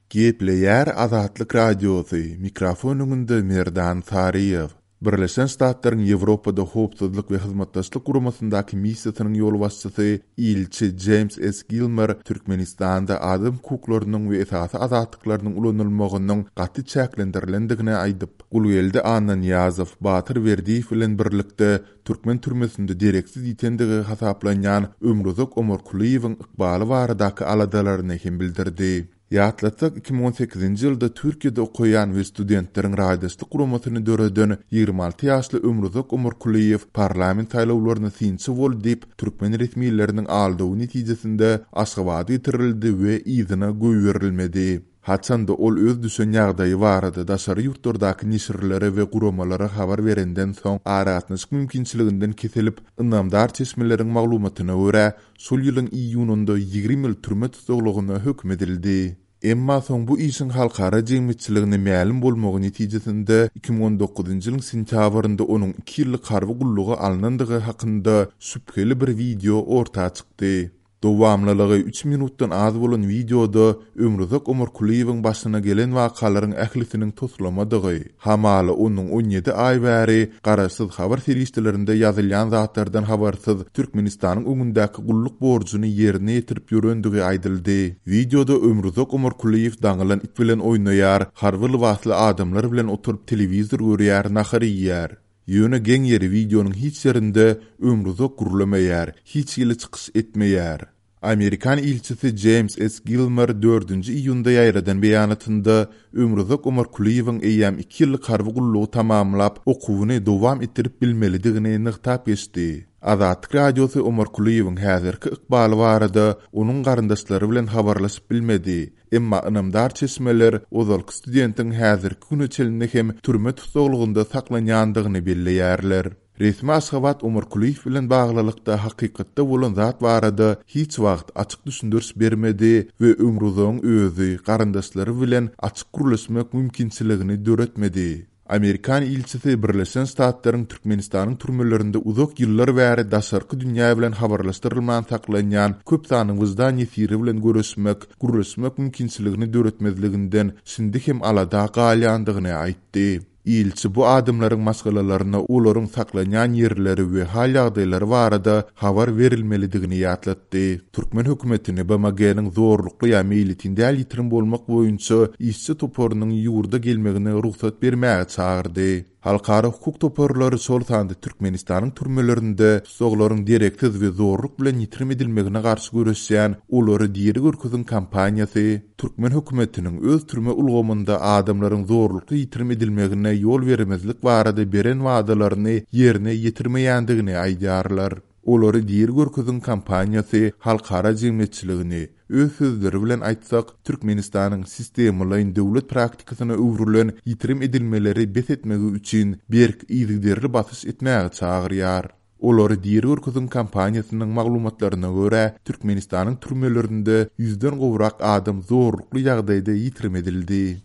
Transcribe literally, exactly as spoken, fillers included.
Gepleýär Azatlyk Radiosy, mikrofon öňünde Merdan Saryýew. Birleşen Ştatlaryň Ýewropada Howpsuzlyk we Hyzmatdaşlyk Guramasyndaky missiýasynyň ýolbaşçysy ilçi Jeýms S. Gilmer Türkmenistanda adam hukuklarynyň we esasy azatlyklarynyň ulanylmagynyň gaty çäklendirilendigini aýdyp, Gulgeldi Annanyýazow, Batyr Berdiýew bilen birlikde türkmen türmesinde dereksiz ýitendigi hasaplanýan Ömruzak Omarkulyýewiň ykbaly baradaky aladalaryny hem bildirdi. Ýatlatsak, iki müň on sekizinji ýylda Türkiýede okaýan we studentleriň raýdaşlyk guramasyny döreden ýigrimi alty ýaşly Ömruzak Omarkulyýew parlament saýlawlaryna synçy boldy diýip, türkmen resmileriniň aldawy netijesinde Aşgabada getirildi we yzyna goýberilmedi. Haçanda ol öz düşen ýagdaýy barada daşary ýurtlardaky neşirlere we guramalara habar berenden soň aragatnaşyk mümkinçiliginden kesilip, ynamdar çeşmeleriň maglumatyna görä, şol ýylyň iýunynda ýigrimi ýyl türme tussaglygyna höküm edildi. Emma soň bu işiň halkara jemgyýetçiligine mälim bolmagy netijesinde iki müň on dokuzynjy ýylyň sentýabrynda onuň iki ýyllyk harby gulluga alnandygy hakynda şübheli bir wideo orta çykdy. Dowamlylygy üç minutdan az bolan wideoda Ömruzak Omarkulyýewiň başyna gelen wakalaryň ählisiniň toslamadygy, hamala onuň on ýedi aý bäri garaşsyz habar serişdelerinde ýazylýan zatlardan habarsyz Türkmenistanyň öňündäki gulluk borjuny ýerine ýetirip ýörendigi aýdyldy. Wideoda Ömruzak Omarkulyýew daňylan it bilen oýnaýar, harby lybasly adamlar bilen oturyp telewizor görýär, nahar iýýär. Ýöne geň ýeri wideonyň hiç ýerinde Ömruzak gürlemeýär, hiç hili çykyş etmeýär. Amerikan ilçisi Jeýms S. Gilmer dördünji iýunda ýaýradan beýanatynda Ömruzak Omarkulyýewiň eýýäm iki ýyllyk harby gullugy tamamlap, okuwyny dowam etdirip bilmelidigini nygtap geçdi. Azatlyk Radiosy Omarkulyýewiň häzirki ykbaly barada onuň garyndaşlary bilen habarlaşyp bilmedi. Emma ynamdar çeşmeler ozalky studentiň häzirki güne çenli hem türme tussaglygynda saklanýandygyny belleýärler. Resmi Aşgabat Omarkulyýew bilen baglylykda hakykatda bolan zat barada hiç wagt açyk düşündiriş bermedi we Ömruzagyň özi garyndaşlary bilen açyk gürleşmek mümkinçiligini döretmedi. Amerikan ilçisi Birleşen Ştatlaryň Türkmenistanyň türmelerinde uzak ýyllar bäri daşarky dünýä bilen habarlaşdyrylman saklanýan köp sanly wyždan ýesiri bilen görüşmek, gürleşmek mümkinçiligini döretmezliginden şindi hem alada galýandygyny aýtdy. Ilçi bu adamlaryň maşgalalaryna olaryň saklanýan ýerleri we hal ýagdaýlary barada habar berilmelidigini ýatlatdy. Türkmen hökümetini B M G-niň zorlukly ýa meýletin däl ýitirim bolmak boýunça işçi toparynyň ýurda gelmegine rugsat bermäge çagyrdy. Halkara hukuk toparlary şol sanda Türkmenistanyň türmelerinde tussaglaryň dereksiz we zorluk bilen ýitirim edilmegine garşy göreşýän Olary diri görkeziň kampaniýasy türkmen hökümetiniň öz türme ulgamynda adamlaryň zorlukly ýitirim edilmegine ýol bermezlik barada beren wadalaryny ýerine ýetirmeýändigini aýdýarlar. Olary diri görkeziň kampaniýasy halkara jemgyýetçiligini öz sözleri bilen aýtsak, Türkmenistanyň sistemalaýyn döwlet praktikasyna öwrülen ýitirim edilmeleri bes etmegi üçin berk yzygiderli basyş etmäge çagyrýar. Olary diri görkeziň kampaniýasynyň maglumatlaryna görä, Türkmenistanyň türmelerinde ýüzden gowrak adam zorlukly ýagdaýda ýitirim edildi.